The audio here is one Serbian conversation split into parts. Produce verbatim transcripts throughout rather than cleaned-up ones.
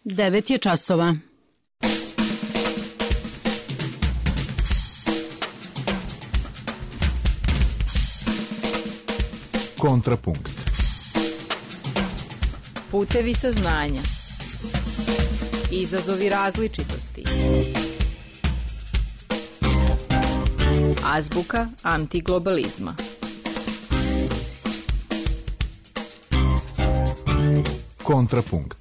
Devet je časova. Kontrapunkt. Putevi saznanja. Izazovi različitosti. Azbuka antiglobalizma. Kontrapunkt.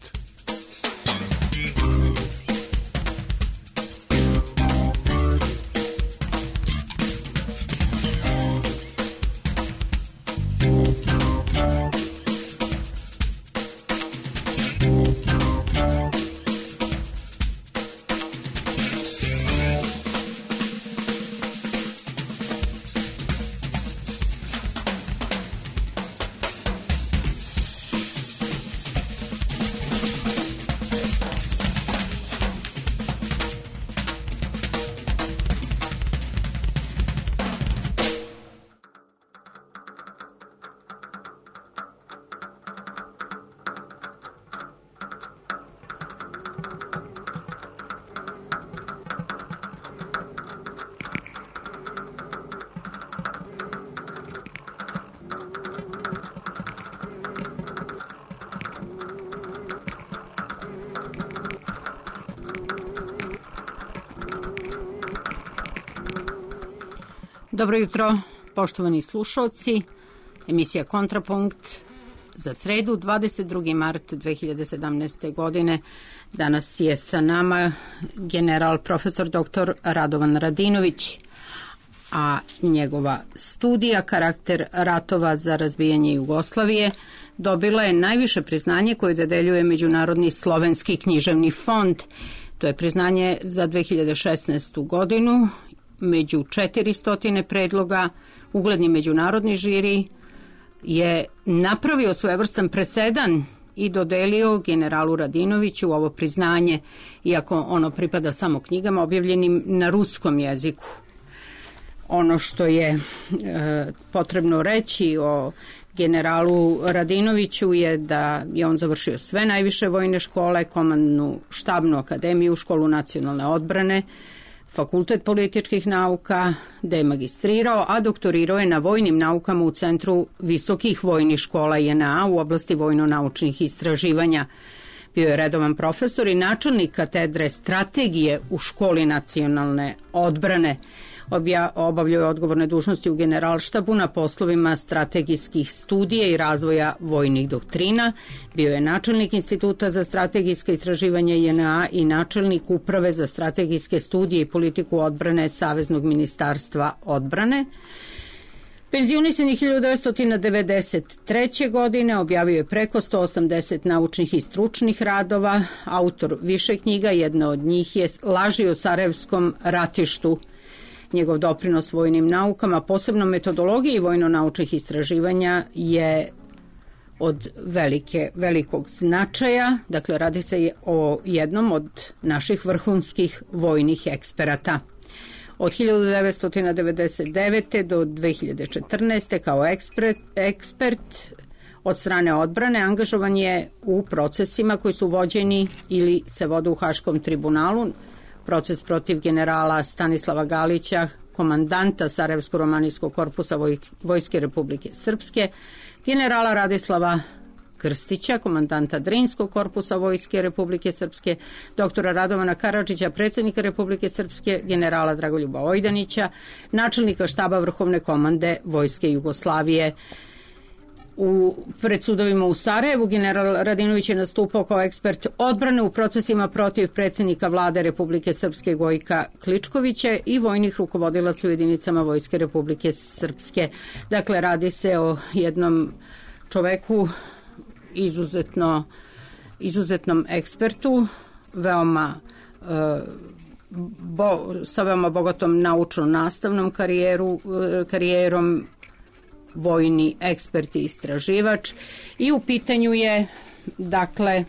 Dobro jutro, poštovani slušalci. Emisija Kontrapunkt za sredu, dvadeset drugi mart dve hiljade sedamnaeste. godine. Danas je sa nama general profesor doktor Radovan Radinović, a njegova studija Karakter ratova za razbijanje Jugoslavije dobila je najviše priznanje koje dodeljuje Međunarodni slovenski književni fond. To je priznanje za dve hiljade šesnaestu. godinu. Među četiristo predloga ugledni međunarodni žiri je napravio svojevrstan presedan i dodelio generalu Radinoviću ovo priznanje, iako ono pripada samo knjigama objavljenim na ruskom jeziku. Ono što je e, potrebno reći o generalu Radinoviću je da je on završio sve najviše vojne škole, komandnu štabnu akademiju, školu nacionalne odbrane, Fakultet političkih nauka, da je magistrirao, a doktorirao je na vojnim naukama u Centru visokih vojnih škola J N A u oblasti vojno-naučnih istraživanja. Bio je redovan profesor i načelnik katedre strategije u školi nacionalne odbrane. Obja, obavljao je odgovorne dužnosti u generalštabu na poslovima strategijskih studija i razvoja vojnih doktrina. Bio je načelnik Instituta za strategijske istraživanja J N A i načelnik Uprave za strategijske studije i politiku odbrane Saveznog ministarstva odbrane. Penzionisan je hiljadu devetsto devedeset treće. godine, objavio je preko sto osamdeset naučnih i stručnih radova, autor više knjiga, jedna od njih je Laži o Sarajevskom ratištu. Njegov doprinos vojnim naukama, posebno metodologiji vojno-naučnih istraživanja, je od velike, velikog značaja. Dakle, radi se o jednom od naših vrhunskih vojnih eksperata. Od hiljadu devetsto devedeset devete. do dve hiljade četrnaeste. kao ekspert, ekspert od strane odbrane angažovan je u procesima koji su vođeni ili se vode u Haškom tribunalu. Proces protiv generala Stanislava Galića, komandanta Sarajevsko-romanijskog korpusa Vojske Republike Srpske, generala Radislava Krstića, komandanta Drinskog korpusa Vojske Republike Srpske, doktora Radovana Karadžića, predsjednika Republike Srpske, generala Dragoljuba Ojdanića, načelnika štaba Vrhovne komande Vojske Jugoslavije. U pred sudovima u Sarajevu general Radinović je nastupao kao ekspert odbrane u procesima protiv predsjednika vlade Republike Srpske Gojka Kličkovića i vojnih rukovodilaca u jedinicama Vojske Republike Srpske. Dakle, radi se o jednom čoveku izuzetno, izuzetnom ekspertu, veoma e, bo, sa veoma bogatom naučno-nastavnom karijeru, e, karijerom, vojni ekspert i istraživač, i u pitanju je, dakle,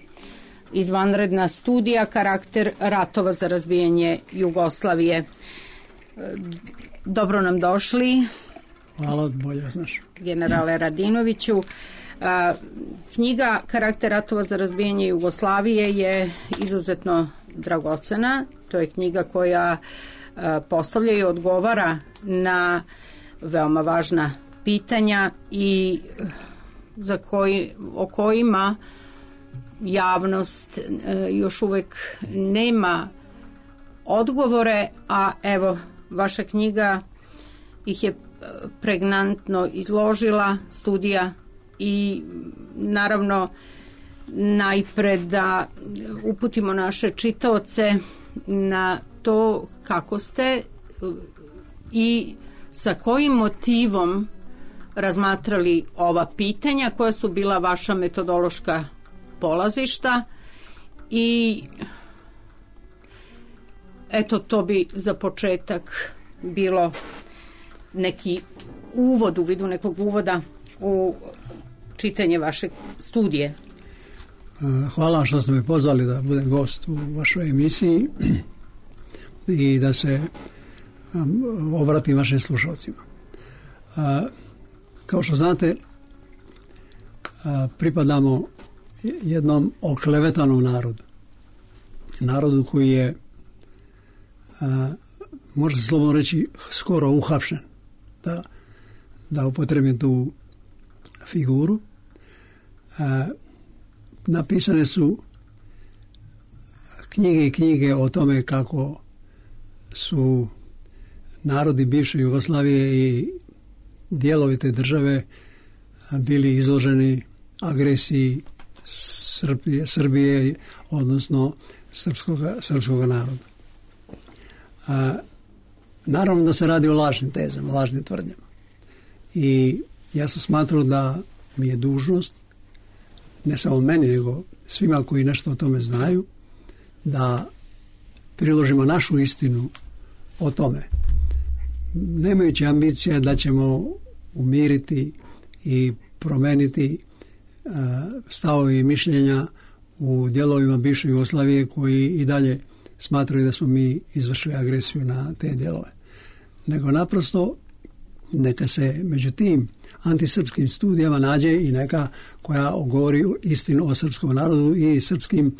izvanredna studija Karakter ratova za razbijanje Jugoslavije. Dobro nam došli. Hvala, bolje znaš. Generale Radinoviću, Knjiga Karakter ratova za razbijanje Jugoslavije je izuzetno dragocena. To je knjiga koja postavlja i odgovara na veoma važna pitanja i za koji, o kojima javnost još uvek nema odgovore, a evo, vaša knjiga ih je pregnantno izložila, studija, i naravno najpre da uputimo naše čitaoce na to kako ste i sa kojim motivom razmatrali ova pitanja, koja su bila vaša metodološka polazišta, i eto, to bi za početak bilo neki uvod, u vidu nekog uvoda u čitanje vaše studije. Hvala što ste me pozvali da budem gost u vašoj emisiji i da se obratim vašim slušalcima. Kao što znate, pripadamo jednom oklevetanom narodu. Narodu koji je, može se slobodno reći, skoro uhapšen. Da, da upotrebim tu figuru. Napisane su knjige i knjige o tome kako su narodi bivše Jugoslavije i dijelovi te države bili izloženi agresiji Srbije, Srbije odnosno srpskoga, srpskoga naroda. A, naravno da se radi o lažnim tezama, lažnim tvrdnjama. I ja sam smatrao da mi je dužnost, ne samo meni, nego svima koji nešto o tome znaju, da priložimo našu istinu o tome. Nemajući ambicije da ćemo umiriti i promeniti uh, stavove i mišljenja u dijelovima bivše Jugoslavije koji i dalje smatraju da smo mi izvršili agresiju na te dijelove. Nego naprosto neka se među tim antisrpskim studijama nađe i neka koja govori istinu o srpskom narodu i srpskim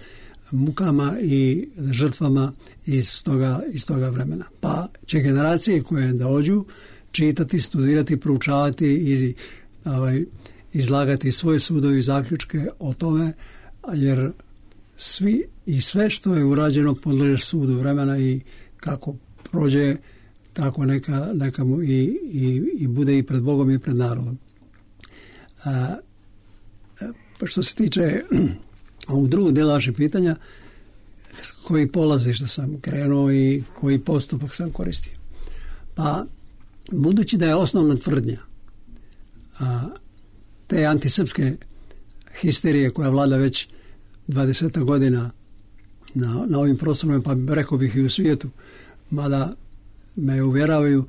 mukama i žrtvama iz toga, iz toga vremena. Pa će generacije koje dođu čitati, studirati, proučavati i ovaj, izlagati svoje sudovi i zaključke o tome, jer svi i sve što je urađeno podleže sudu vremena i kako prođe, tako neka, neka mu i, i, i bude i pred Bogom i pred narodom. A, pa što se tiče ovog drugog dela vašeg pitanja, s koji polazišta sam krenuo i koji postupak sam koristio. Pa, budući da je osnovna tvrdnja a, te antisrpske histerije koja vlada već dvadeset godina na, na ovim prostorima, pa rekao bih i u svijetu, mada me uvjeravaju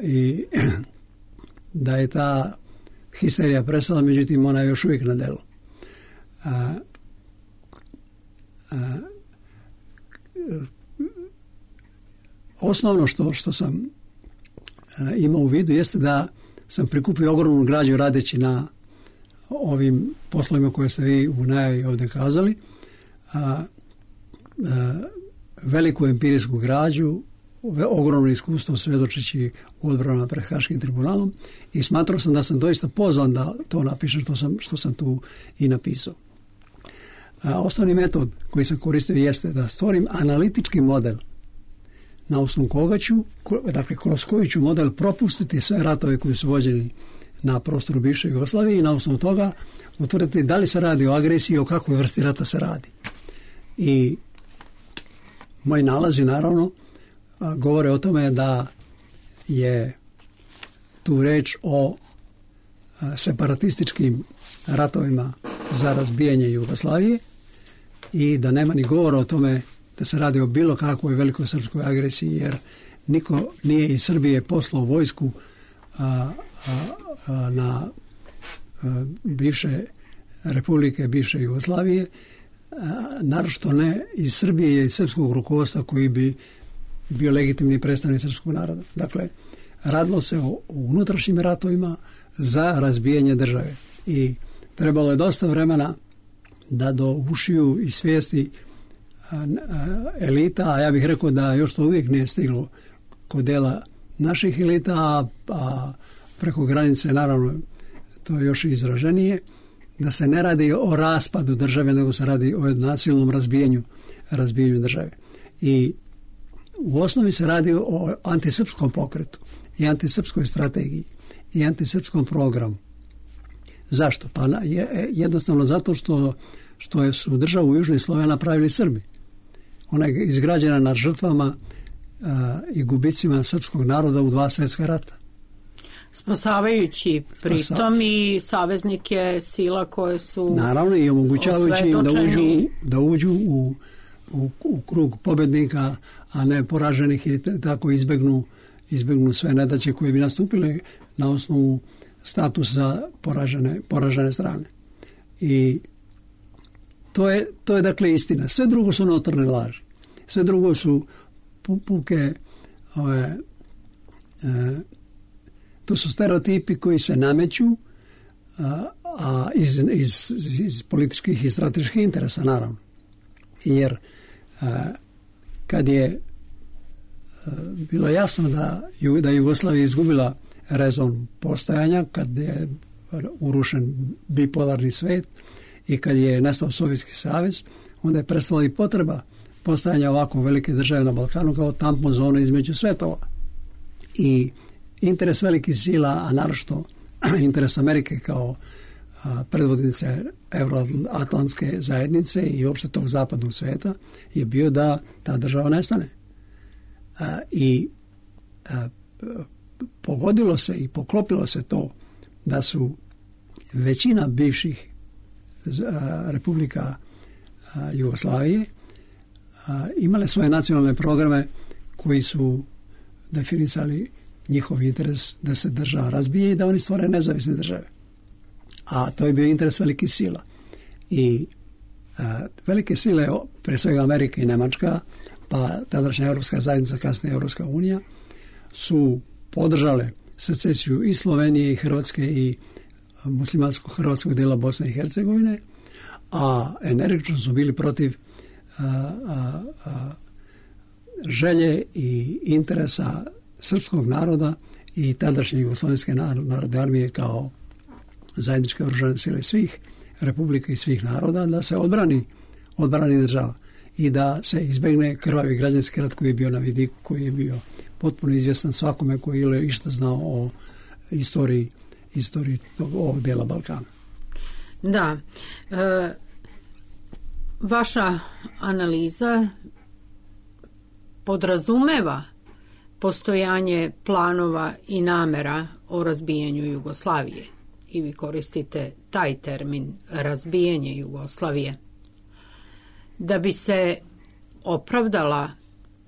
i da je ta histerija prestala, međutim ona je još uvijek na delu. A, a, osnovno što, što sam a, imao u vidu jeste da sam prikupio ogromnu građu radeći na ovim poslovima koje ste vi u najavi ovdje kazali, a, a, veliku empirijsku građu, ogromno iskustvo svedočeći u odbranama pred Haškim tribunalom, i smatrao sam da sam doista pozvan da to napišem što sam, što sam tu i napisao. A, osnovni metod koji sam koristio jeste da stvorim analitički model na osnovu koga ću, dakle kroz koji ću model propustiti sve ratove koji su vođeni na prostoru bivše Jugoslavije i na osnovu toga utvrditi da li se radi o agresiji i o kakvoj vrsti rata se radi. I moji nalazi naravno govore o tome da je tu reč o separatističkim ratovima za razbijanje Jugoslavije i da nema ni govora o tome da se radi o bilo kakvoj velikosrpskoj agresiji, jer niko nije iz Srbije poslao vojsku a, a, a, na a, bivše republike, bivše Jugoslavije, a, naročito ne iz Srbije i iz srpskog rukovodstva koji bi bio legitimni predstavnik srpskog naroda. Dakle, radilo se o, o unutrašnjim ratovima za razbijanje države. I trebalo je dosta vremena da do ušiju i svijesti elita, a ja bih rekao da još to uvijek nije stiglo kod dela naših elita, a, a preko granice naravno to je još izraženije, da se ne radi o raspadu države, nego se radi o nasilnom razbijanju, razbijanju države. I u osnovi se radi o antisrpskom pokretu i antisrpskoj strategiji i antisrpskom programu. Zašto? Pa je, jednostavno zato što, što su državu u Južnoj Sloveniji napravili Srbi. Ona je izgrađena na žrtvama a, i gubicima srpskog naroda u dva svjetska rata. Spasavajući pritom i saveznike sila koje su naravno i omogućavajući im da uđu, da uđu u, u, u krug pobednika, a ne poraženih i tako izbegnu, izbegnu sve nedaće koje bi nastupile na osnovu statusa poražene, poražene strane. I to je, to je dakle istina. Sve drugo su notorne laži. Sve drugo su puke ove, e, to su stereotipi koji se nameću a, a iz, iz, iz političkih i strateških interesa, naravno. Jer a, kad je a, bilo jasno da, da Jugoslavija izgubila rezon postojanja, kad je urušen bipolarni svet i kad je nestao Sovjetski savez, onda je prestala i potreba postojanja ovako velike države na Balkanu kao tampon zone između svetova. I interes velikih sila, a naročito interes Amerike kao a, predvodnice Euroatlantske zajednice i uopšte tog zapadnog sveta je bio da ta država nestane. A, I a, pogodilo se i poklopilo se to da su većina bivših a, republika a, Jugoslavije a, imale svoje nacionalne programe koji su definisali njihov interes da se država razbije i da oni stvore nezavisne države. A to je bio interes velikih sila. I a, velike sile, pre svega Amerika i Nemačka, pa tadašnja Europska zajednica, kasnije Europska unija, su podržale secesiju i Slovenije i Hrvatske i muslimansko-hrvatskog dela Bosne i Hercegovine, a energično su bili protiv a, a, a, želje i interesa srpskog naroda i tadašnje Jugoslovenske narodne armije kao zajedničke oružane sile svih republika i svih naroda da se odbrani, odbrani država i da se izbegne krvavi građanski rat koji je bio na vidiku, koji je bio potpuno izvjestan svakome koji je išta znao o istoriji, istoriji tog, ovog dela Balkana. Da. E, vaša analiza podrazumeva postojanje planova i namera o razbijanju Jugoslavije. I vi koristite taj termin razbijanje Jugoslavije. Da bi se opravdala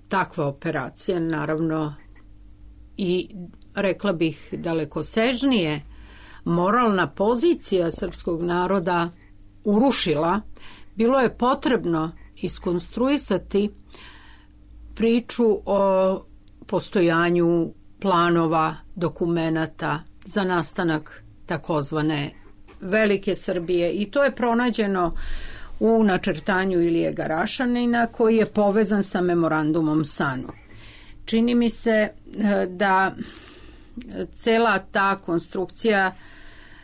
takva operacija, naravno i rekla bih dalekosežnije, moralna pozicija srpskog naroda urušila, bilo je potrebno iskonstruisati priču o postojanju planova, dokumenata za nastanak takozvane Velike Srbije i to je pronađeno u načrtanju Ilije Garašanina koji je povezan sa memorandumom Sanu. Čini mi se da cela ta konstrukcija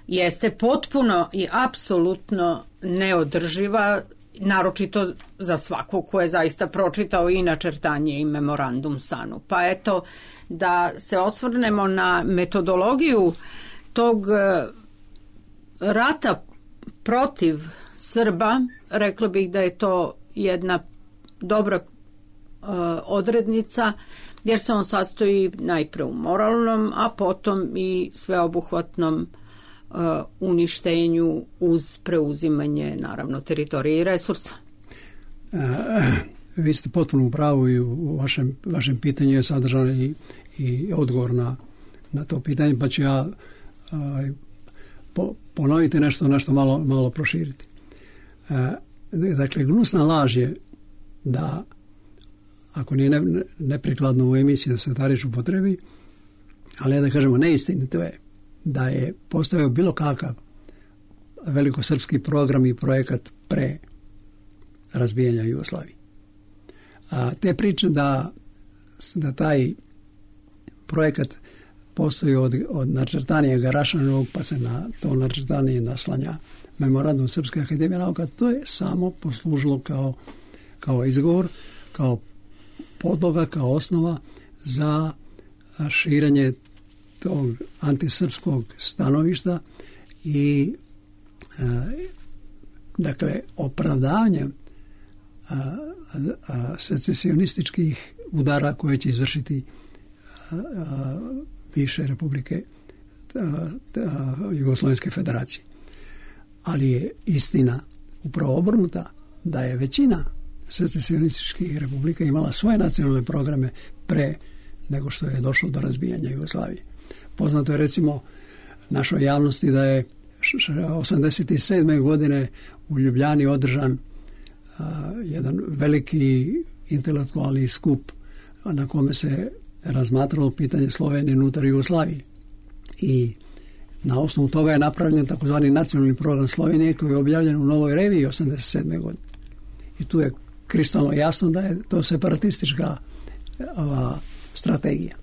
jeste potpuno i apsolutno neodrživa, naročito za svakog ko je zaista pročitao i načrtanje i memorandum Sanu. Pa eto, da se osvrnemo na metodologiju tog rata protiv Srba, rekla bih da je to jedna dobra uh, odrednica, jer se on sastoji najpre u moralnom, a potom i sveobuhvatnom uh, uništenju uz preuzimanje, naravno, teritorije i resursa. Uh, vi ste potpuno u pravu i u vašem, vašem pitanju je sadržan i, i odgovor na, na to pitanje, pa ću ja uh, po, ponoviti nešto, nešto malo, malo proširiti. Uh, dakle, gnusna laž je da, ako nije ne, neprikladno u emisiji da se ta riječ upotrebi, ali da kažemo neistinito je da je postojao bilo kakav velikosrpski program i projekat pre razbijanja Jugoslavije. A te priče da, da taj projekat postoji od, od načrtanija Garašanovog, pa se na to načrtanije naslanja memorandum Srpske akademije nauka, to je samo poslužilo kao, kao izgovor, kao podloga, kao osnova za širenje tog antisrpskog stanovišta i e, dakle opravdavanje a, a, secesionističkih udara koje će izvršiti a, a, bivše republike a, a, Jugoslovenske federacije. Ali je istina upravo obrnuta, da je većina secesionističkih republika imala svoje nacionalne programe pre nego što je došlo do razbijanja Jugoslavije. Poznato je recimo našoj javnosti da je osamdeset sedme godine u Ljubljani održan a, jedan veliki intelektualni skup na kome se razmatralo pitanje Slovenije unutar Jugoslavije. I na osnovu toga je napravljen takozvani nacionalni program Slovenije koji je objavljen u Novoj reviji osamdeset sedme godine. I tu je kristalno jasno da je to separatistička ova, strategija.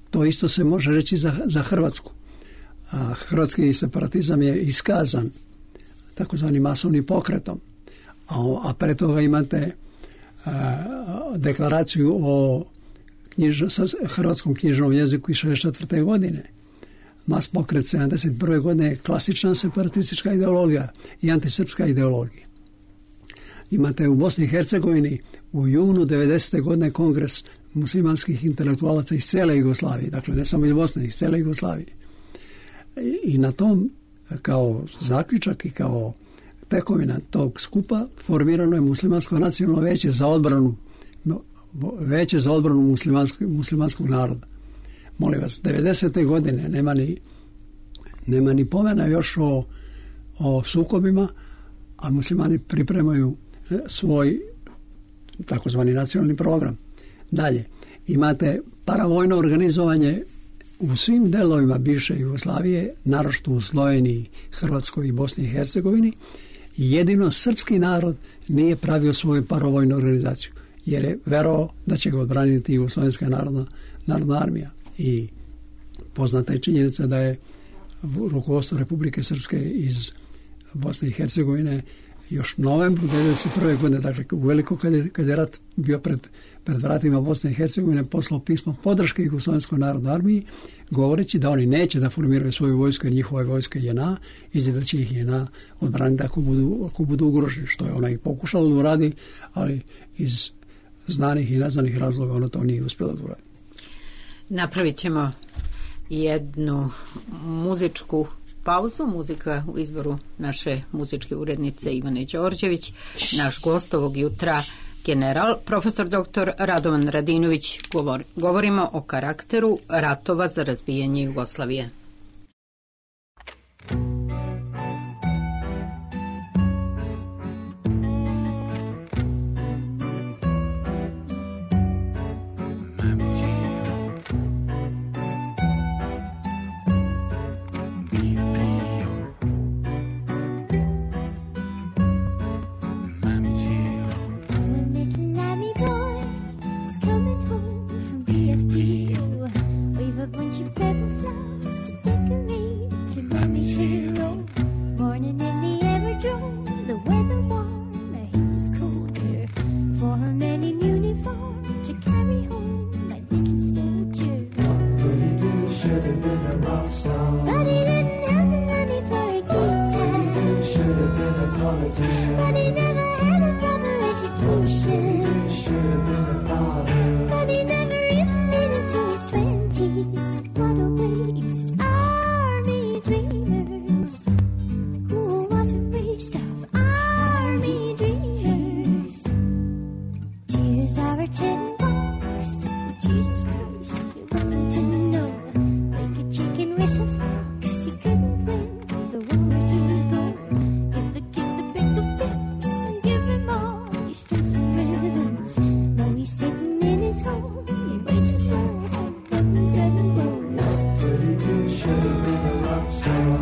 To isto se može reći za, za Hrvatsku. A hrvatski separatizam je iskazan takozvani masovnim pokretom. A, a pre toga imate a, deklaraciju o knjiž, hrvatskom knjižnom jeziku iz šezdeset četvrte godine. Mas pokret sedamdeset prve godine je klasična separatistička ideologija i antisrpska ideologija. Imate u Bosni i Hercegovini u junu devedesete godine kongres muslimanskih intelektualaca iz cele Jugoslavije, dakle ne samo iz Bosne, iz cele Jugoslavije. I, i na tom kao zaključak i kao tekovina tog skupa formirano je muslimansko nacionalno veće za odbranu veće za odbranu muslimanskog, muslimanskog naroda. Molim vas, devedesete godine nema ni, nema ni pomena još o, o sukobima, a muslimani pripremaju svoj takozvani nacionalni program. Dalje, imate paravojno organizovanje u svim delovima bivše Jugoslavije, naročito u Sloveniji, Hrvatskoj i Bosni i Hercegovini. Jedino srpski narod nije pravio svoju paravojnu organizaciju, jer je verovao da će ga odbraniti Jugoslovenska narodna, narodna armija. I poznata je činjenica da je rukovodstvo Republike Srpske iz Bosne i Hercegovine još novembru devedeset prve godine, dakle u veliko kad je, kad je rat bio pred, pred vratima Bosne i Hercegovine, poslao pismo podrške Jugoslovenskoj narodnoj armiji, govoreći da oni neće da formiraju svoju vojsku, jer njihova vojska je J N A i da će ih J N A odbraniti ako budu, ako budu ugroženi, što je ona i pokušala da uradi, ali iz znanih i neznanih razloga ona to nije uspjela da uradi. Napravit ćemo jednu muzičku pauzu. Muzika u izboru naše muzičke urednice Ivane Đorđević. Naš gost ovog jutra, general, profesor doktor Radovan Radinović. Govor, govorimo o karakteru ratova za razbijanje Jugoslavije.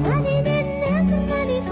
But he didn't have the money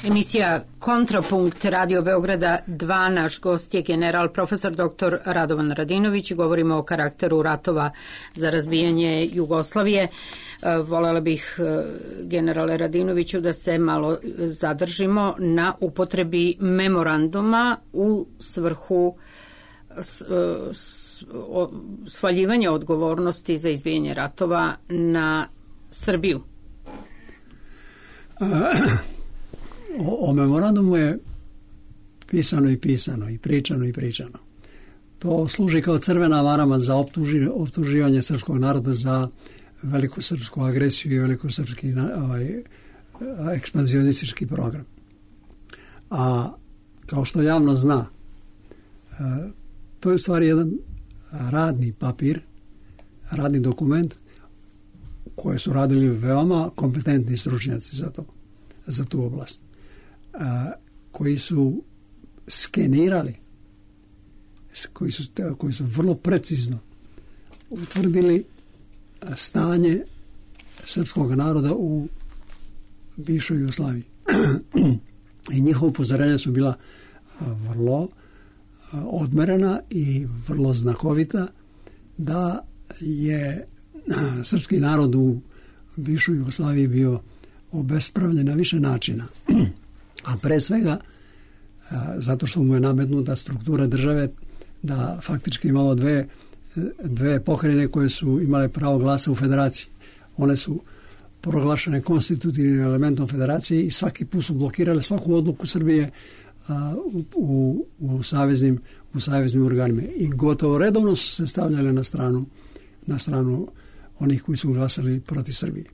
Emisija Kontrapunkt Radio Beograda dva, naš gost je general profesor doktor Radovan Radinović. Govorimo o karakteru ratova za razbijanje Jugoslavije. Volela bih, generale Radinoviću, da se malo zadržimo na upotrebi memoranduma u svrhu svaljivanja odgovornosti za izbijanje ratova na Srbiju. O, o memorandumu je pisano i pisano, i pričano i pričano. To služi kao crvena marama za optuži, optuživanje srpskog naroda za velikosrpsku agresiju i velikosrpski ovaj, ekspanzionistički program. A kao što javno zna, to je u stvari jedan radni papir, radni dokument koje su radili veoma kompetentni stručnjaci za to, za tu oblast. A, koji su skenirali, koji su, koji su vrlo precizno utvrdili stanje srpskog naroda u bivšoj Jugoslaviji. I njihova upozorenja su bila vrlo odmerena i vrlo znakovita, da je srpski narod u bivšoj Jugoslaviji bio obespravljen na više načina. A pre svega zato što mu je nametnuta struktura države da faktički imalo dve, dve pokrajine koje su imale pravo glasa u federaciji. One su proglašene konstitutivnim elementom federacije i svaki put su blokirale svaku odluku Srbije a, u, u, u, saveznim, u saveznim organima. I gotovo redovno su se stavljale na stranu, na stranu onih koji su glasali protiv Srbije.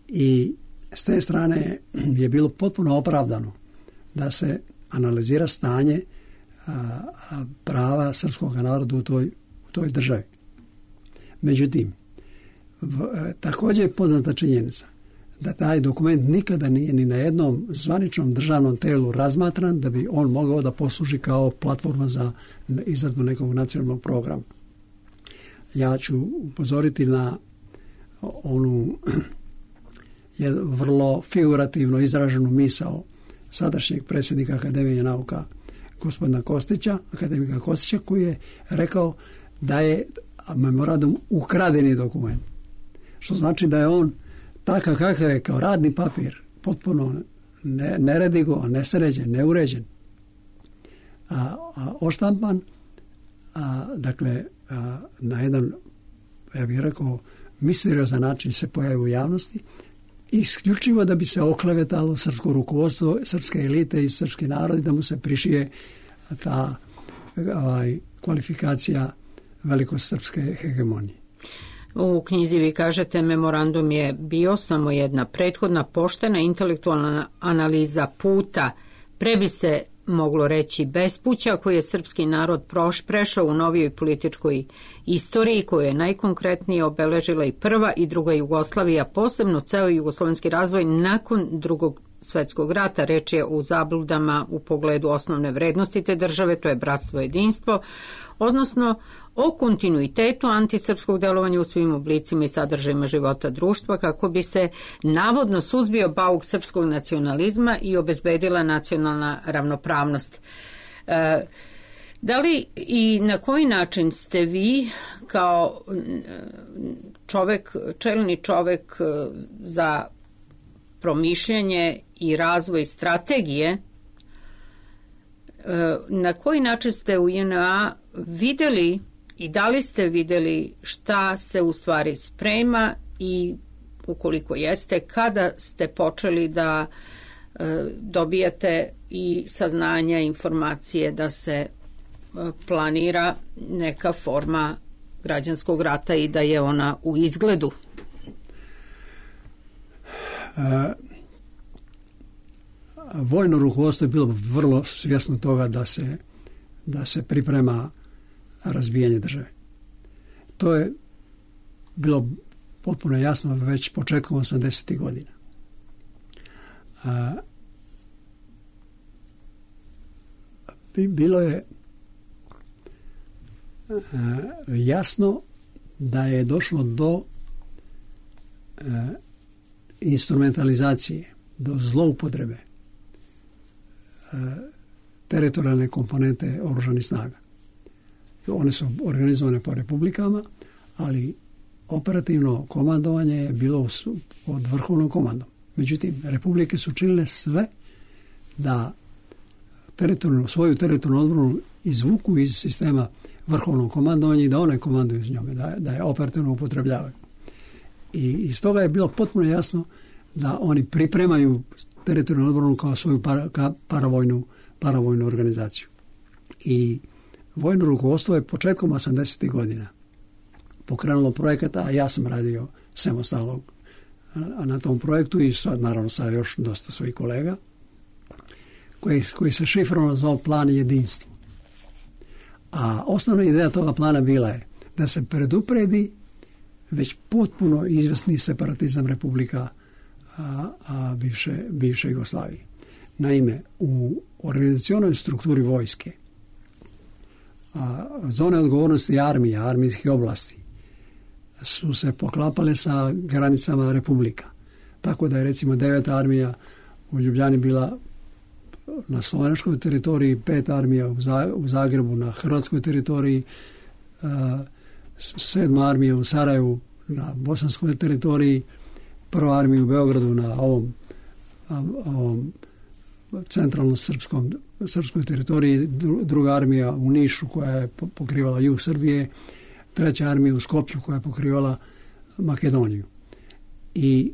I s te strane je bilo potpuno opravdano da se analizira stanje a, a, prava srpskog naroda u toj, u toj državi. Međutim, v, također je poznata činjenica da taj dokument nikada nije ni na jednom zvaničnom državnom telu razmatran da bi on mogao da posluži kao platforma za izradu nekog nacionalnog programa. Ja ću upozoriti na onu je vrlo figurativno izraženu misao sadašnjeg predsjednika Akademije nauka gospodina Kostića, akademika Kostića, koji je rekao da je memorandum ukradeni dokument. Što znači da je on takav kakav je kao radni papir, potpuno ne, neredigovan, nesređen, neuređen, a, a oštampan, a, dakle, a, na jedan, ja bih rekao, misteriozan način se pojavi u javnosti, isključivo da bi se oklevetalo srpsko rukovodstvo, srpske elite i srpski narod i da mu se prišije ta ovaj, kvalifikacija velikosrpske hegemonije. U knjizi vi kažete memorandum je bio samo jedna prethodna poštena intelektualna analiza puta, pre bi se moglo reći bespuća koji je srpski narod proš, prešao u novijoj političkoj istoriji koju je najkonkretnije obeležila i prva i druga Jugoslavija, posebno ceo jugoslovenski razvoj nakon drugog svetskog rata. Reč je u zabludama u pogledu osnovne vrednosti te države, to je bratstvo i jedinstvo, odnosno o kontinuitetu antisrpskog delovanja u svim oblicima i sadržajima života društva kako bi se navodno suzbio bauk srpskog nacionalizma i obezbedila nacionalna ravnopravnost. E, Da li i na koji način ste vi kao čovek, čelni čovek za promišljanje i razvoj strategije, na koji način ste u J N A videli i da li ste videli šta se u stvari sprema i ukoliko jeste, kada ste počeli da dobijate i saznanja, informacije da se planira neka forma građanskog rata i da je ona u izgledu? E, vojno rukovodstvo je bilo vrlo svjesno toga da se, da se priprema razbijanje države. To je bilo potpuno jasno već početkom osamdesetih godina. E, bilo je jasno da je došlo do e, instrumentalizacije, do zloupotrebe e, teritorijalne komponente oružanih snaga. One su organizovane po republikama, ali operativno komandovanje je bilo pod vrhovnom komandom. Međutim, republike su činile sve da teritorijalnu, svoju teritorijalnu odbranu izvuku iz sistema vrhovnog komandovanja i da one komanduju s njome, da, da je operativno upotrebljavaju. I iz toga je bilo potpuno jasno da oni pripremaju teritorijalnu odbranu kao svoju para, ka paravojnu, paravojnu organizaciju. I vojno rukovodstvo je početkom osamdesetih godina pokrenulo projekat, a ja sam radio samostalno na tom projektu i sad naravno sa još dosta svojih kolega, koji, koji se šifrovano zvao plan jedinstva. A osnovna ideja toga plana bila je da se predupredi već potpuno izvesni separatizam republika a, a bivše, bivše Jugoslavije. Naime, u organizacionoj strukturi vojske a, zone odgovornosti armije, armijskih oblasti su se poklapale sa granicama republika. Tako da je recimo deveta armija u Ljubljani bila na slovenačkoj teritoriji, pet armija u Zagrebu na hrvatskoj teritoriji, sedma armija u Sarajevu na bosanskoj teritoriji, prva armija u Beogradu na ovom, ovom centralno srpskom, srpskoj teritoriji, druga armija u Nišu koja je pokrivala jug Srbije, treća armija u Skoplju koja je pokrivala Makedoniju. I,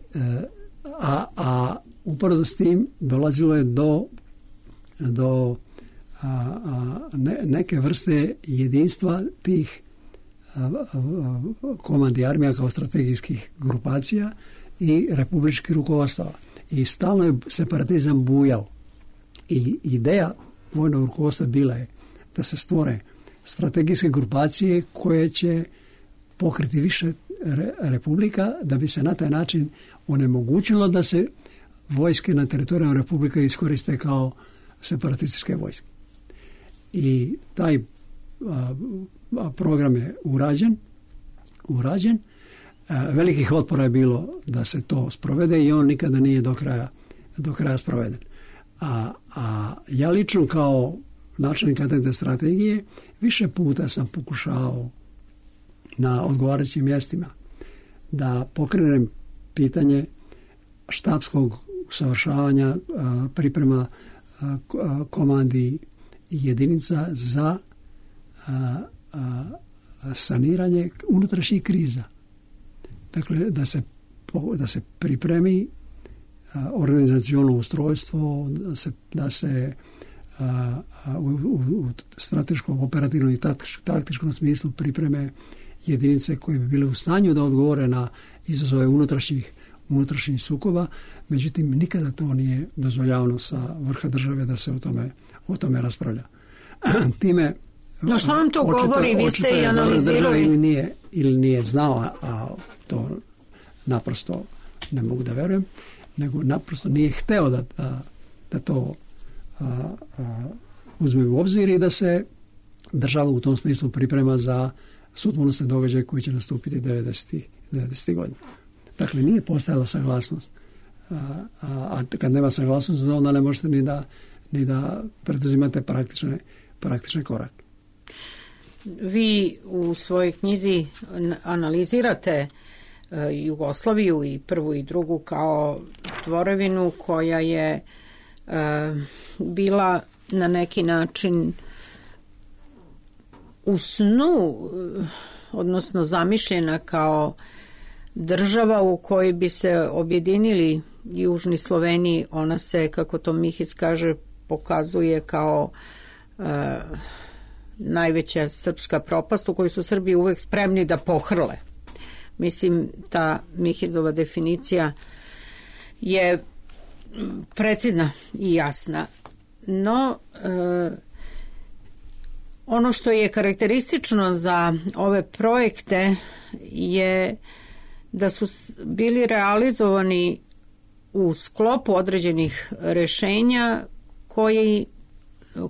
a, a upravo s tim dolazilo je do do a, a, ne, neke vrste jedinstva tih a, a, komandi armija kao strategijskih grupacija i republičkih rukovodstava. I stalno je separatizam bujao. I ideja vojnog rukovodstva bila je da se stvore strategijske grupacije koje će pokriti više re, republika, da bi se na taj način onemogućilo da se vojske na teritoriju republika iskoriste kao separatističke vojske. I taj a, a, program je urađen, urađen. A, velikih otpora je bilo da se to sprovede i on nikada nije do kraja, do kraja sproveden. A, a ja lično kao načelnik katedre strategije više puta sam pokušao na odgovarajućim mjestima da pokrenem pitanje štabskog usavršavanja, a, priprema a, komandi jedinica za a, a, saniranje unutrašnjih kriza. Dakle, da se, da se pripremi a, organizaciono ustrojstvo, da se, da se a, a, u, u, u strateškom, operativnom i taktičkom smislu pripreme jedinice koje bi bile u stanju da odgovore na izazove unutrašnjih unutrašnjih sukoba, međutim nikada to nije dozvoljavano sa vrha države da se o tome, o tome raspravlja. Time no što vam to očito, govori, vi ste i analizirali ili nije, ili nije znao, a to naprosto ne mogu da verujem, nego naprosto nije hteo da, da, da to a, a, uzme u obzir i da se država u tom smislu priprema za sudbonosne događaje koji će nastupiti devedesetih godina. Dakle, nije postojala saglasnost. A, a, a kad nema saglasnost, onda ne možete ni da, ni da preduzimate praktične, praktične korake. vi u svojoj knjizi analizirate Jugoslaviju i prvu i drugu kao tvorevinu koja je bila na neki način u snu, odnosno zamišljena kao država u kojoj bi se objedinili južni Sloveniji. Ona se, kako to Mihis kaže, pokazuje kao e, najveća srpska propast u kojoj su Srbi uvek spremni da pohrle. Mislim, ta Mihizova definicija je precizna i jasna. No, e, ono što je karakteristično za ove projekte je da su bili realizovani u sklopu određenih rešenja koji,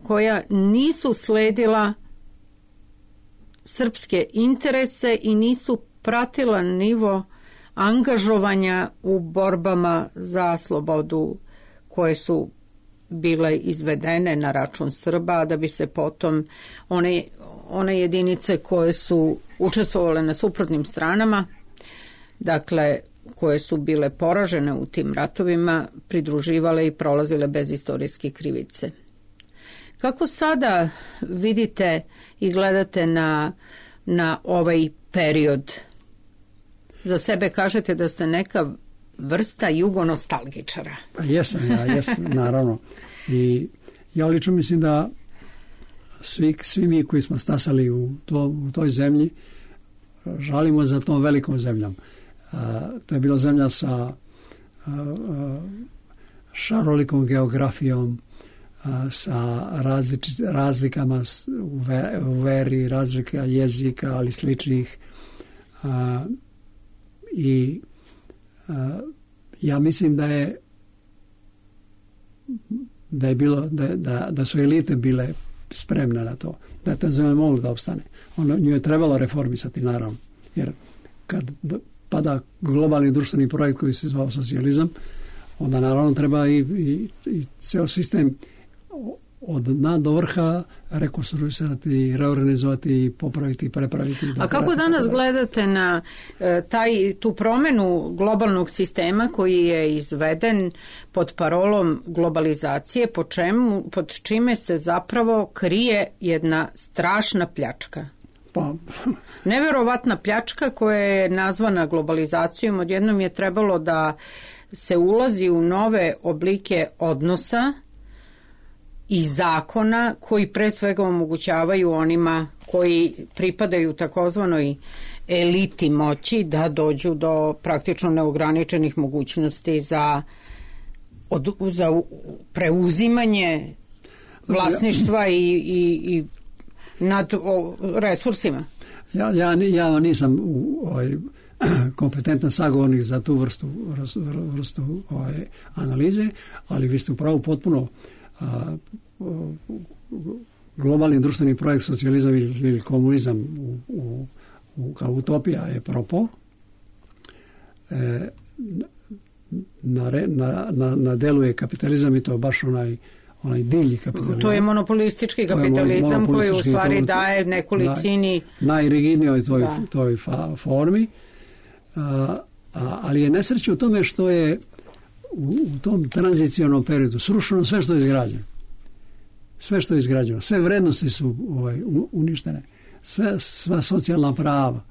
koja nisu sledila srpske interese i nisu pratila nivo angažovanja u borbama za slobodu koje su bile izvedene na račun Srba, da bi se potom one, one jedinice koje su učestvovale na suprotnim stranama, dakle koje su bile poražene u tim ratovima, pridruživale i prolazile bez istorijske krivice. Kako sada vidite i gledate na, na ovaj period? Za sebe kažete da ste neka vrsta jugonostalgičara. Pa jesam, ja jesam, naravno. I ja lično mislim da svi, svi mi koji smo stasali u, to, u toj zemlji žalimo za tom velikom zemljom. A, to je bila zemlja sa a, a, šarolikom geografijom, a, sa različit, razlikama u, ve, u veri, razlika jezika, ali sličnih. A, I a, ja mislim da je da je bilo da, da, da su elite bile spremne na to, da je ta zemlja mogla da opstane. Ono, nju je trebalo reformisati, naravno, jer kad pada globalni društveni projekt koji se zvao socijalizam, onda naravno treba i, i, i ceo sistem od dna do vrha rekonstruisati, reorganizovati, popraviti, prepraviti. A kako danas gledate na e, taj, tu promenu globalnog sistema koji je izveden pod parolom globalizacije, po čemu, pod čime se zapravo krije jedna strašna pljačka? Pa. Neverovatna pljačka koja je nazvana globalizacijom. Odjednom je trebalo da se ulazi u nove oblike odnosa i zakona koji pre svega omogućavaju onima koji pripadaju takozvanoj eliti moći da dođu do praktično neograničenih mogućnosti za, od, za preuzimanje vlasništva i, i, i nad o, resursima. Ja, ja, ja nisam u, ovaj, kompetentan sagovornik za tu vrstu, vrstu ovaj, analize, ali vi ste upravo potpuno a, globalni društveni projekt socijalizam ili komunizam u, u, u, kao utopija je propao. E, na, na, na, na delu je kapitalizam i to baš onaj onaj divlji kapitalizam. To je monopolistički kapitalizam je koji u stvari to, daje nekolicini naj, najrigidnijoj toj, toj fa, formi. A, a, ali je nesreća u tome što je u, u tom tranzicionom periodu srušeno sve što je izgrađeno. Sve što je izgrađeno. Sve vrednosti su ovaj, uništene. Sve, sva socijalna prava.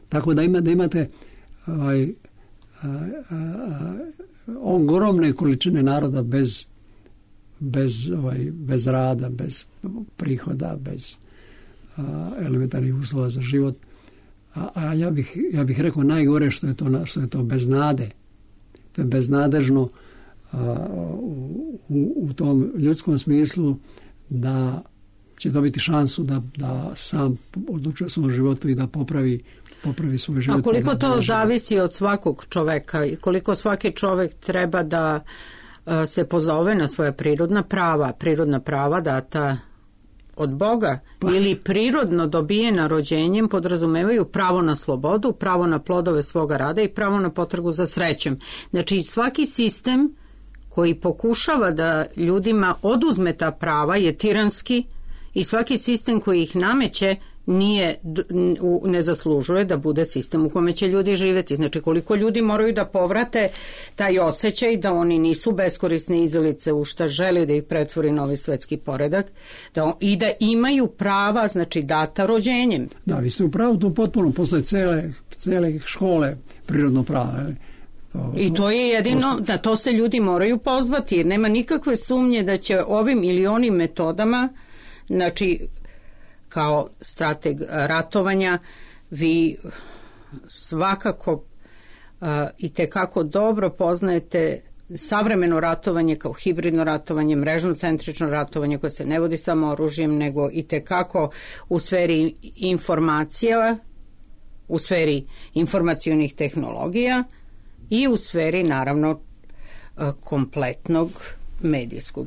Tako da, ima, da imate ovaj, a, a, a, ogromne količine naroda bez bez, ovaj, bez rada, bez prihoda, bez a, elementarnih uslova za život. A, a ja bih, ja bih rekao najgore što je to, što je to bez nade. To je beznadežno a, u, u, u tom ljudskom smislu da će dobiti šansu da, da sam odlučuje o svom životu i da popravi, popravi svoj život. A koliko to zavisi od svakog čoveka i koliko svaki čovek treba da se pozove na svoja prirodna prava, prirodna prava data od Boga pa. Ili prirodno dobijena rođenjem podrazumevaju pravo na slobodu, pravo na plodove svoga rada i pravo na potragu za srećom. Znači svaki sistem koji pokušava da ljudima oduzme ta prava je tiranski i svaki sistem koji ih nameće nije, ne zaslužuje da bude sistem u kome će ljudi živjeti. Znači koliko ljudi moraju da povrate taj osjećaj da oni nisu beskorisne izelice u šta žele da ih pretvori novi svetski poredak da, i da imaju prava, znači data rođenjem. Da, vi ste u pravu, to potpuno postoje cele, cele škole prirodno prava. To, I to je jedino, na to se ljudi moraju pozvati jer nema nikakve sumnje da će ovim ili onim metodama, znači kao strateg ratovanja vi svakako uh, i tekako dobro poznajete savremeno ratovanje kao hibridno ratovanje, mrežno-centrično ratovanje koje se ne vodi samo oružjem nego i tekako u sferi informacija, u sferi informacionih tehnologija i u sferi naravno uh, kompletnog medijskog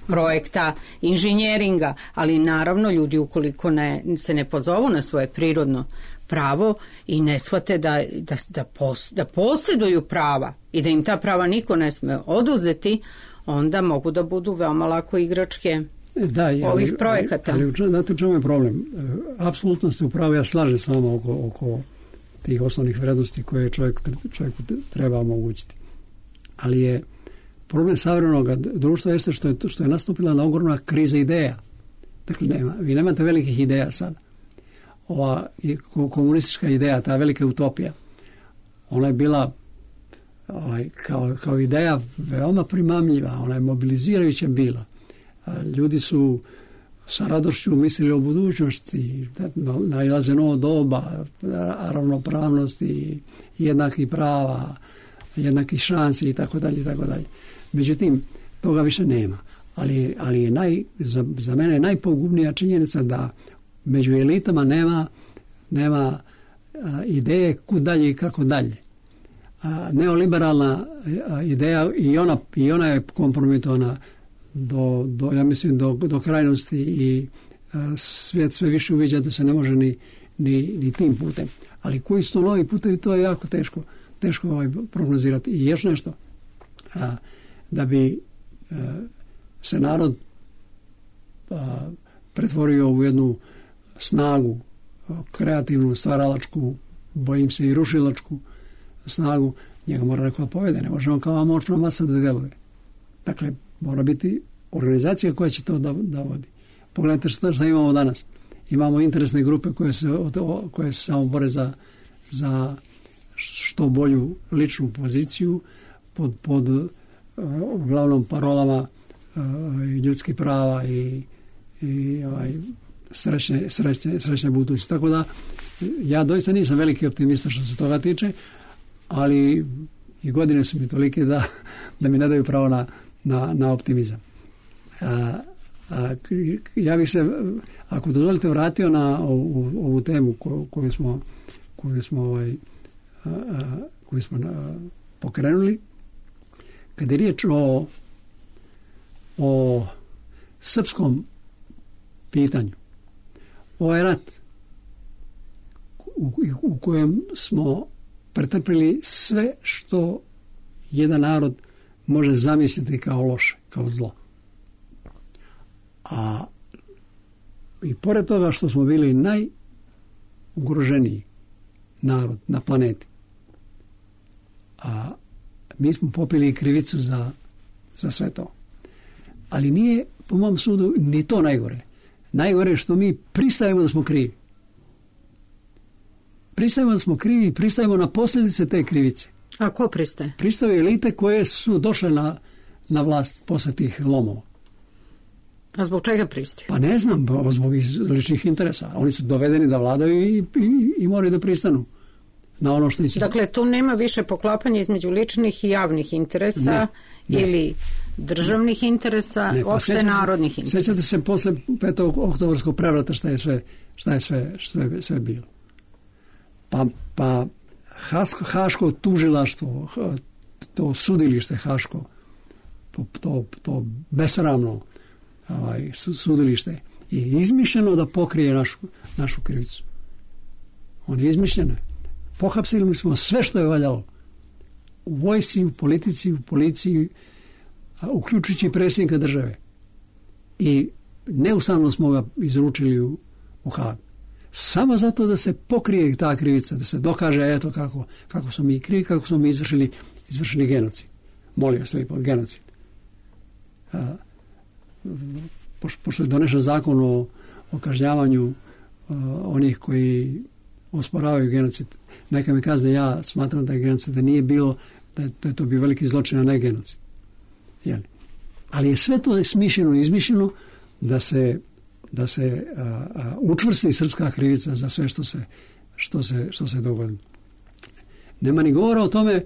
projekta, inženjeringa, ali naravno ljudi ukoliko ne, se ne pozovu na svoje prirodno pravo i ne shvate da, da, da, pos, da posjeduju prava i da im ta prava niko ne sme oduzeti, onda mogu da budu veoma lako igračke da, ali, ovih projekata. Ali, ali znate u čemu je problem? Apsolutno ste u pravu, ja slažem s vama oko, oko tih osnovnih vrednosti koje čovjek, čovjeku treba omogućiti. Ali je problem savremenog društva jeste što je, što je nastupila na ogromna kriza ideja. Dakle, nema, vi nemate velikih ideja sada. Ova komunistička ideja, ta velika utopija, ona je bila ovaj, kao, kao ideja veoma primamljiva, ona je mobilizirajuća bila. Ljudi su sa radošću mislili o budućnosti, nailaze novo doba, ravnopravnosti, jednakih prava, jednakih šansi i tako dalje i tako dalje. Međutim, toga više nema. Ali, ali je naj, za, za mene je najpogubnija činjenica da među elitama nema, nema a, ideje kud dalje i kako dalje. A, neoliberalna a, ideja i ona, i ona je kompromitovana do, do, ja mislim, do, do krajnosti i a, svijet sve više uviđa da se ne može ni, ni, ni tim putem. Ali koji su to novi putevi, to je jako teško, teško ovaj, prognozirati. I još nešto. A, da bi a, se narod a, pretvorio u jednu snagu, kreativnu, stvaralačku, bojim se i rušilačku snagu, njega mora neko da povede, ne može on kao amorfna masa da djeluje. Dakle, mora biti organizacija koja će to da, da vodi. Pogledajte što, što imamo danas. Imamo interesne grupe koje se, koje se samo bore za, za što bolju ličnu poziciju pod, pod uh, uglavnom parolama uh, ljudskih prava i, i ovaj, srećne, srećne, srećne budućnosti. Tako da ja doista nisam veliki optimista što se toga tiče, ali i godine su mi tolike da, da mi ne daju pravo na, na, na optimizam. A, a, ja bih se, ako dozvolite, vratio na ovu, ovu temu koju, koju smo, koju smo, ovaj, a, a, koju smo a, pokrenuli. Kad je riječ o, o srpskom pitanju, ovaj rat u, u kojem smo pretrpili sve što jedan narod može zamisliti kao loše, kao zlo. A i pored toga što smo bili najugroženiji narod na planeti, a mi smo popili krivicu za, za sve to. Ali nije, po mom sudu, ni to najgore. Najgore je što mi pristajemo da smo krivi. Pristajemo da smo krivi i pristajemo na posljedice te krivice. A ko pristaje? Pristaju elite koje su došle na, na vlast posle tih lomova. A zbog čega pristaju? Pa ne znam, zbog ličnih interesa. Oni su dovedeni da vladaju i, i, i moraju da pristanu na ono što im se... Dakle, tu nema više poklapanja između ličnih i javnih interesa ne, ne. ili državnih interesa, ne, pa opšte sjećate, narodnih interesa. Sjećate se posle petog oktobarskog prevrata šta je sve, šta je sve, sve, sve bilo. Pa, pa Haško, Haško tužilaštvo, to sudilište Haško, to, to besramno ovaj, sudilište je izmišljeno da pokrije našu, našu krivicu. On je izmišljeno. Pohapsili smo sve što je valjalo. U vojsci, u politici, u policiji, uključujući predsjednika države. I neustavno smo ga izručili u, u Hag. Samo zato da se pokrije ta krivica, da se dokaže eto kako, kako smo mi krivi, kako smo mi izvršili, izvršili genocid. Molim vas lijepo, genocid. A, pošto, pošto je donešen zakon o, o kažnjavanju a, onih koji osporavaju genocid, neka mi kazne, ja smatram da je genocid, da nije bilo, da je, da je to bio veliki zločin, a ne genocid. Jel? Ali je sve to smišljeno i izmišljeno da se da se a, a, učvrsti srpska krivica za sve što se, što se, što se dogodilo. Nema ni govora o tome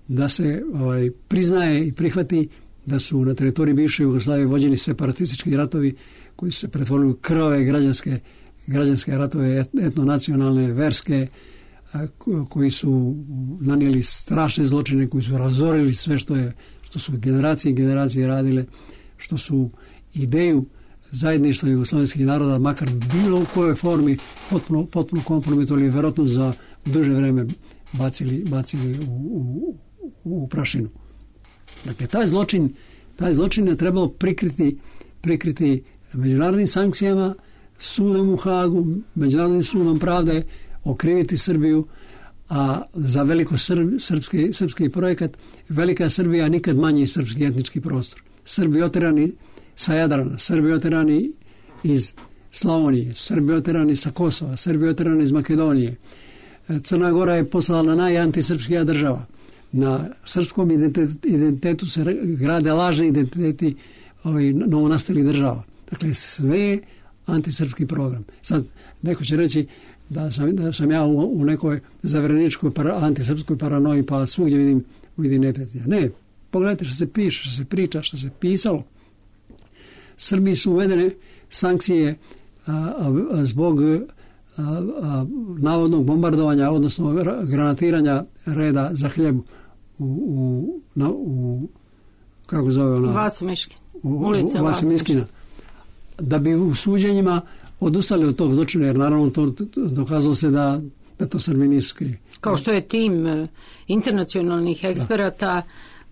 da se ovaj, priznaje i prihvati da su na teritoriji bivše Jugoslavije vođeni separatistički ratovi koji su se pretvorili u krvave građanske, građanske ratove, etnonacionalne, verske, a, koji su nanijeli strašne zločine, koji su razorili sve što je, što su generacije i generacije radile, što su ideju zajedništva jugoslovenskih naroda, makar bilo u kojoj formi, potpuno, potpuno kompromitovali, vjerojatno za duže vreme bacili, bacili u, u, u prašinu. Dakle, taj zločin, taj zločin je trebalo prikriti, prikriti međunarodnim sankcijama, sudom u Hagu, međunarodnim sudom pravde, okriviti Srbiju, a za veliko srb, srpski, srpski projekat Velika Srbija nikad manji srpski etnički prostor. Srbi oterani sa Jadrana, Srbi oterani iz Slavonije, Srbi oterani sa Kosova, Srbi oterani iz Makedonije. Crna Gora je postala najantisrpskija država. Na srpskom identitetu, identitetu se grade lažni identiteti ovaj, novonastalih država. Dakle, sve antisrpski program. Sad, neko će reći da sam, da sam ja u, u nekoj zavereničkoj para, antisrpskoj paranoji, pa svugdje vidim, vidim neprijatelja. Ne, pogledajte što se piše, što se priča, što se pisalo. Srbiji su uvedene sankcije a, a, zbog a, a, navodnog bombardovanja, odnosno granatiranja reda za hljeb u, u, na, u kako zove ona? Vasimiškin. U, Ulica Vasimiškina. Da bi u suđenjima odustali od tog zločina, jer naravno to, to dokazalo se da, da to Srbi nisu krivi. Kao što je tim internacionalnih eksperata da.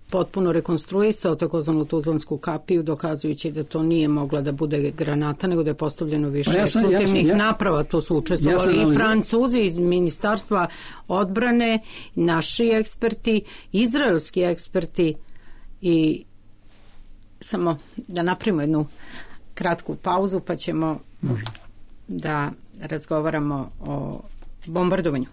potpuno rekonstruisao takozvanu Tuzlansku kapiju, dokazujući da to nije mogla da bude granata, nego da je postavljeno više pa ja sam, eksplozivnih ja sam, ja, naprava. Tu su učestvovali ja i Francuzi iz Ministarstva odbrane, naši eksperti, izraelski eksperti. I samo da napravimo jednu kratku pauzu, pa ćemo Može. da razgovaramo o bombardovanju.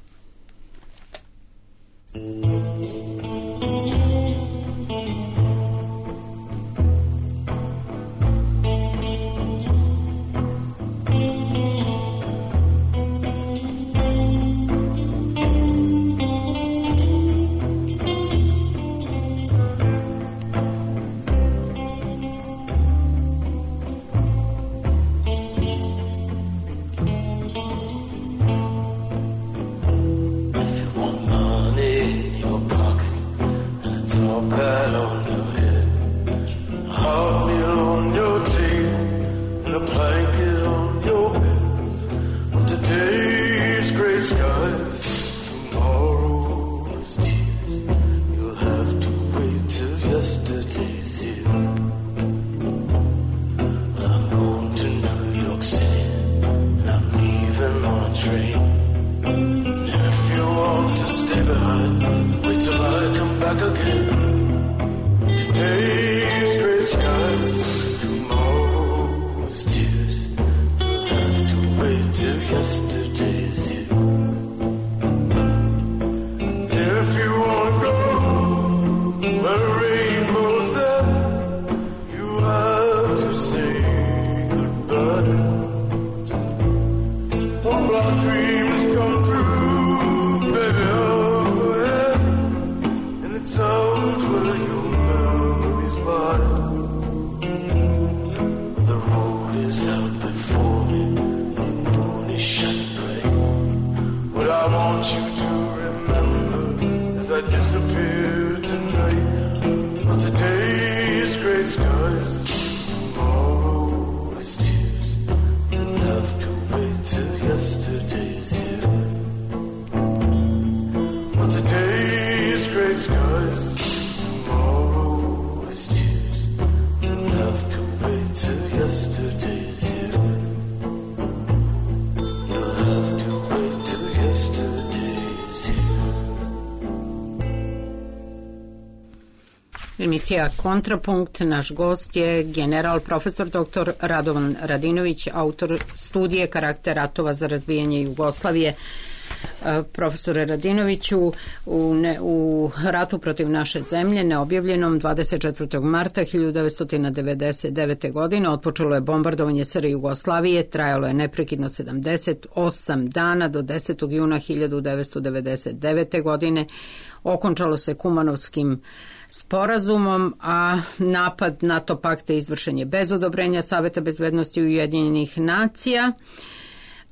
Tomorrow is tears. You'll have to wait till yesterday. Emisija Kontrapunkt, naš gost je general profesor doktor Radovan Radinović, autor studije Karakter ratova za razbijanje Jugoslavije. Profesore Radinoviću, u, ne, u ratu protiv naše zemlje, neobjavljenom dvadeset četvrtog marta hiljadu devetsto devedeset devete. godine, otpočelo je bombardovanje S R Jugoslavije, trajalo je neprekidno sedamdeset osam dana do desetog juna hiljadu devetsto devedeset devete. godine. Okončalo se Kumanovskim sporazumom, a napad NATO pakta izvršen je bez odobrenja Saveta bezbednosti Ujedinjenih nacija,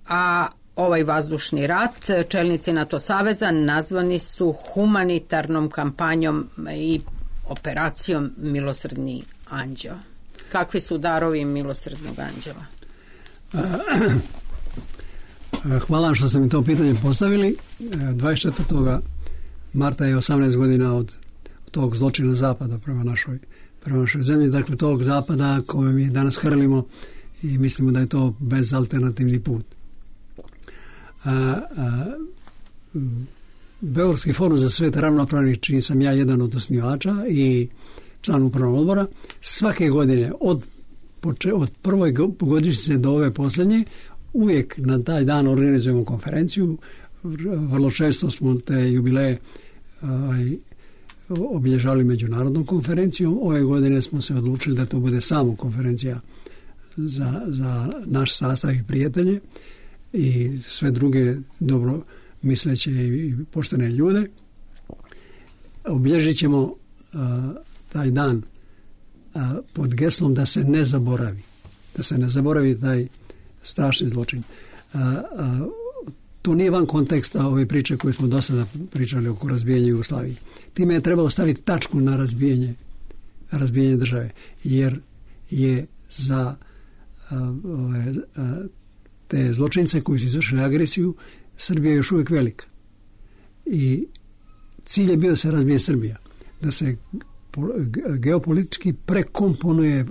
a ovaj vazdušni rat čelnici NATO saveza nazvani su humanitarnom kampanjom i operacijom Milosrdni anđeo. Kakvi su darovi Milosrdnog anđela? Hvala vam što ste mi to pitanje postavili. dvadeset četvrtog marta je osamnaest godina od tog zločina zapada prema našoj, prema našoj zemlji. Dakle, tog zapada kome mi danas hrlimo i mislimo da je to bezalternativni put. A, a, Beogradski forum za svet ravnopravnih, čiji sam ja jedan od osnivača i član upravnog odbora, svake godine od, od prvoj godišnjice do ove posljednje uvijek na taj dan organizujemo konferenciju. Vrlo često smo te jubileje aj, obilježavali međunarodnom konferencijom. Ove godine smo se odlučili da to bude samo konferencija za, za naš sastav i prijatelje i sve druge dobro misleće i poštene ljude. Obilježit ćemo uh, taj dan uh, pod geslom da se ne zaboravi. Da se ne zaboravi taj strašni zločin. Uh, uh, to nije van konteksta ove priče koje smo do sada pričali oko razbijanja Jugoslavije. Time je trebalo staviti tačku na razbijanje, razbijanje države, jer je za uh, ove, uh, te zločince koji su izvršili agresiju Srbija je još uvijek velika. I cilj je bio da se razbije Srbija. Da se geopolitički prekomponuje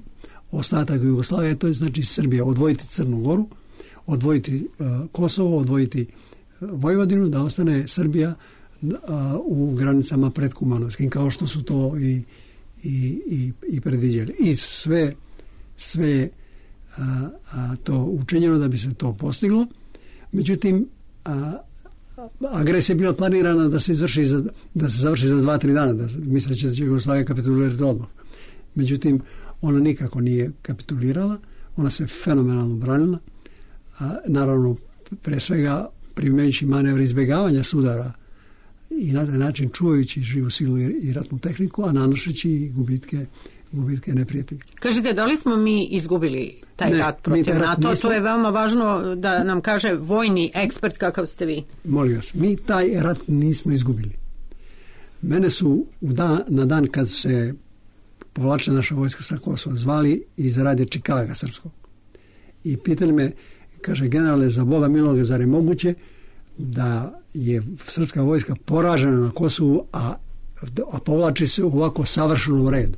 ostatak Jugoslavije, to je znači Srbija. Odvojiti Crnu Goru, odvojiti uh, Kosovo, odvojiti uh, Vojvodinu, da ostane Srbija uh, u granicama pred Kumanovskim, kao što su to i, i, i, i predviđali. I sve, sve A, a to učinjeno da bi se to postiglo. Međutim, a, agresija je bila planirana da se izvrši za, da se završi za dva, tri dana, da misleći da će Jugoslavija kapitulirati odmah. Međutim, ona nikako nije kapitulirala, ona se fenomenalno branila, a, naravno pre svega primajući manevre izbjegavanja sudara i na taj način čuvajući živu silu i, i ratnu tehniku, a nanošeći gubitke gubitke neprijatelja. Kažete, da li smo mi izgubili taj ne, rat protiv NATO? Nismo... To je veoma važno da nam kaže vojni ekspert kakav ste vi. Molim vas, mi taj rat nismo izgubili. Mene su u dan, na dan kad se povlačila naša vojska sa Kosova zvali iz radija Čikaga srpskog. I pitali me, kaže, generale, za Boga miloga, zar je moguće da je srpska vojska poražena na Kosovu, a, a povlači se u ovako savršenom redu?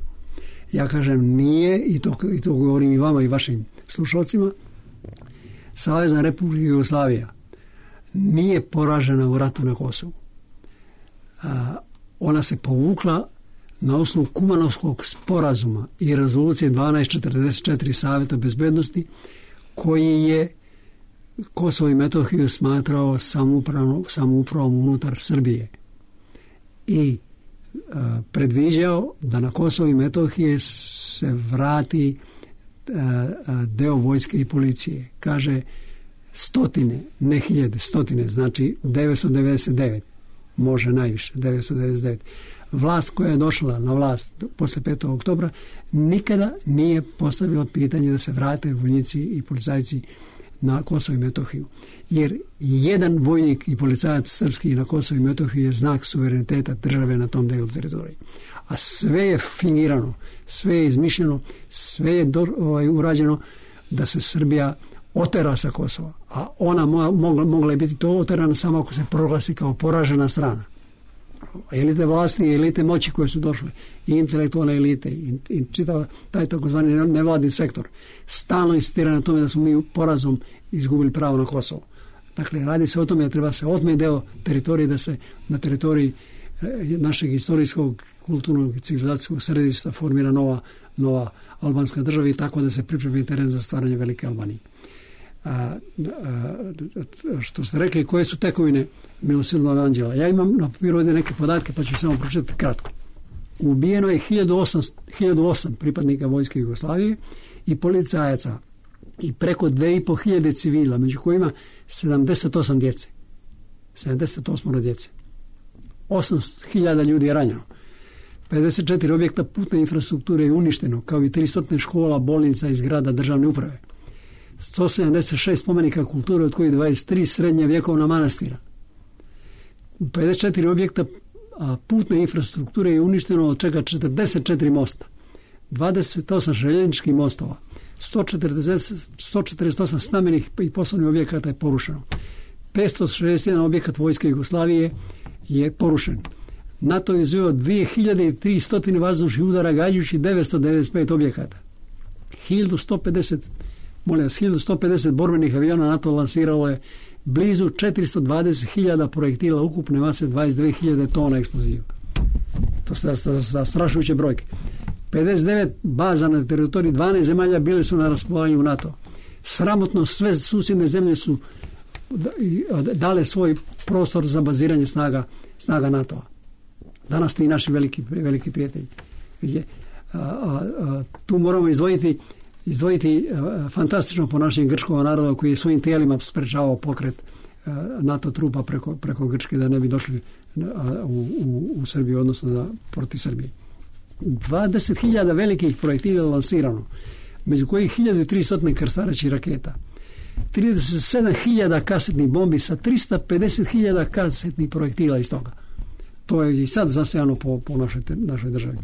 Ja kažem, nije, i to, i to govorim i vama i vašim slušalcima, Savezna Republika Jugoslavija nije poražena u ratu na Kosovu. A, ona se povukla na osnovu Kumanovskog sporazuma i rezolucije dvanaest četrdeset četiri Saveta bezbednosti, koji je Kosovo i Metohiju smatrao samoupravom unutar Srbije. I predviđao da na Kosovo i Metohije se vrati deo vojske i policije. Kaže stotine, ne hiljade, stotine, znači devetsto devedeset devet, može najviše, devetsto devedeset devet. Vlast koja je došla na vlast posle petog oktobra nikada nije postavila pitanje da se vrate vojnici i policajci na Kosovo i Metohiju. Jer jedan vojnik i policajac srpski na Kosovo i Metohiju je znak suvereniteta države na tom delu teritorije. A sve je fingirano, sve je izmišljeno, sve je do, ovaj, urađeno da se Srbija otera sa Kosova. A ona mo, mogla, mogla je biti to oterana samo ako se proglasi kao poražena strana. Elite vlasti i elite moći koje su došle, i intelektualne elite i, i čitav taj takozvani nevladni sektor stalno insistira na tome da smo mi porazom izgubili pravo na Kosovo. Dakle, radi se o tome da treba se otme deo teritorije, da se na teritoriji e, našeg istorijskog kulturnog i civilizacijskog središta formira nova, nova albanska država i tako da se pripremi teren za stvaranje Velike Albanije. A, a, što ste rekli, koje su tekovine Milosrdnog anđela? Ja imam na papiru ovdje neke podatke, pa ću samo pročitati kratko. Ubijeno je hiljadu osam pripadnika vojske Jugoslavije i policajaca i preko dve i po hiljade civila, među kojima sedamdeset osam djece. sedamdeset osam djece. osam hiljada ljudi je ranjeno. pedeset četiri objekta putne infrastrukture je uništeno, kao i tristo škola, bolnica i zgrada državne uprave. sto sedamdeset šest spomenika kulture, od kojih dvadeset tri srednje vjekovna manastira. pedeset četiri objekta a putne infrastrukture je uništeno, od čega četrdeset četiri mosta, dvadeset osam željezničkih mostova, sto četrdeset osam stambenih i poslovnih objekata je porušeno. petsto šezdeset jedan objekat vojske Jugoslavije je porušen. NATO je izveo dvije hiljade tristo vazdušnih udara gađajući devetsto devedeset pet objekata. hiljadu sto pedeset, molim vas, hiljadu sto pedeset borbenih aviona NATO lansiralo je blizu četiristo dvadeset hiljada projektila ukupne mase dvadeset dve hiljade tona eksploziva. To su zastrašujuće brojke. pedeset devet baza na teritoriji dvanaest zemalja bile su na raspolaganju NATO. Sramotno sve susjedne zemlje su dale svoj prostor za baziranje snaga, snaga NATO-a. Danas ti naši veliki, veliki prijatelji. A, a, a, tu moramo izdvojiti izdvojiti a, fantastično ponašanje grčkog naroda koji je svojim tijelima sprečavao pokret a, NATO trupa preko, preko Grčke da ne bi došli a, u, u, u Srbiju, odnosno da, protiv Srbije. dvadeset hiljada velikih projektila lansirano, među kojih hiljadu tristo krstarećih raketa, trideset sedam hiljada kasetnih bombi sa tristo pedeset hiljada kasetnih projektila iz toga. To je i sad zasejano po, po našoj, našoj državi.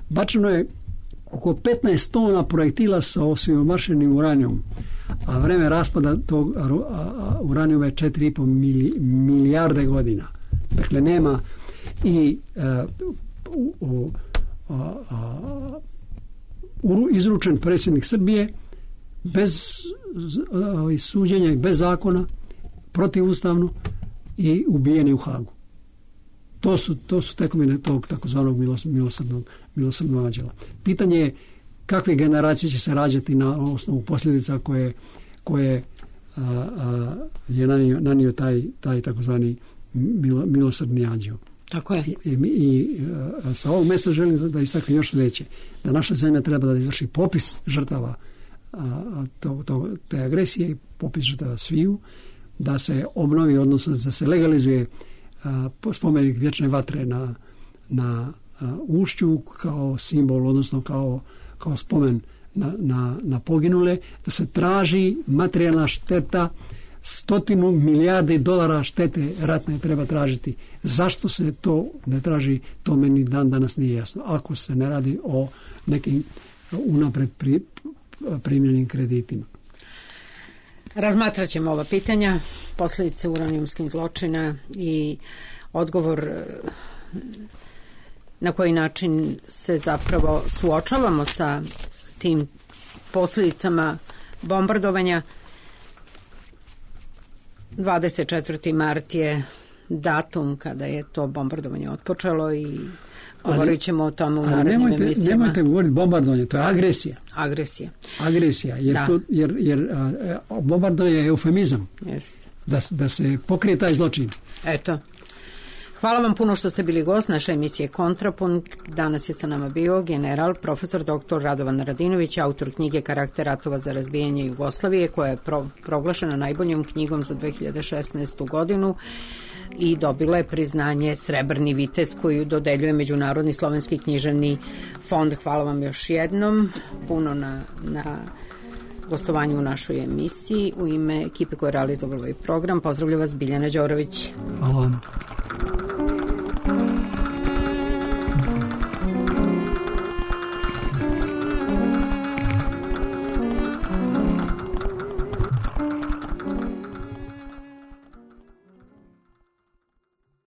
Bačeno je oko petnaest tona projektila sa osiromašenim uranijom, a vreme raspada tog a, a, uranijuma je četiri i po mili, milijarde godina. Dakle, nema i a, u, a, a, u, izručen predsjednik Srbije bez a, suđenja i bez zakona, protivustavno i ubijeni u Hagu. To su, to su tekovine tog takozvanog milosrdnog, milosrdnog anđela. Pitanje je kakve generacije će se rađati na osnovu posljedica koje, koje a, a, je nanio, nanio taj, taj takozvani milo, milosrdni anđeo. Tako je. I, i, i a, sa ovog mjesta želim da istaknem još sljedeće. Da naša zemlja treba da izvrši popis žrtava a, to, to, te agresije i popis žrtava sviju, da se obnovi, odnosno da se legalizuje Uh, spomenik vječne vatre na, na uh, Ušću kao simbol, odnosno kao, kao spomen na, na, na poginule, da se traži materijalna šteta, stotinu milijarde dolara štete ratne treba tražiti. Zašto se to ne traži, to meni dan danas nije jasno. Ako se ne radi o nekim unapred pri, primljenim kreditima. Razmatrat ćemo ova pitanja, posljedice uranijumskih zločina i odgovor na koji način se zapravo suočavamo sa tim posljedicama bombardovanja. dvadeset četvrti mart je datum kada je to bombardovanje otpočelo i govorit ćemo o tome u narednim nemojte, emisijama. Nemojte govoriti bombardovanje, to je agresija. Agresija. Agresija, jer, to, jer, jer a, bombardovanje je eufemizam. Jest. Da, da se pokrije taj zločin. Eto. Hvala vam puno što ste bili gost naše emisije Kontrapunkt. Danas je sa nama bio general, profesor doktor Radovan Radinović, autor knjige Karakter ratova za razbijanje Jugoslavije, koja je pro, proglašena najboljom knjigom za dve hiljade šesnaestu godinu i dobila je priznanje Srebrni vitez koju dodeljuje Međunarodni slovenski književni fond. Hvala vam još jednom puno na, na gostovanju u našoj emisiji. U ime ekipe koja je realizovala ovaj program pozdravlja vas Biljana Đorović. Hvala vam.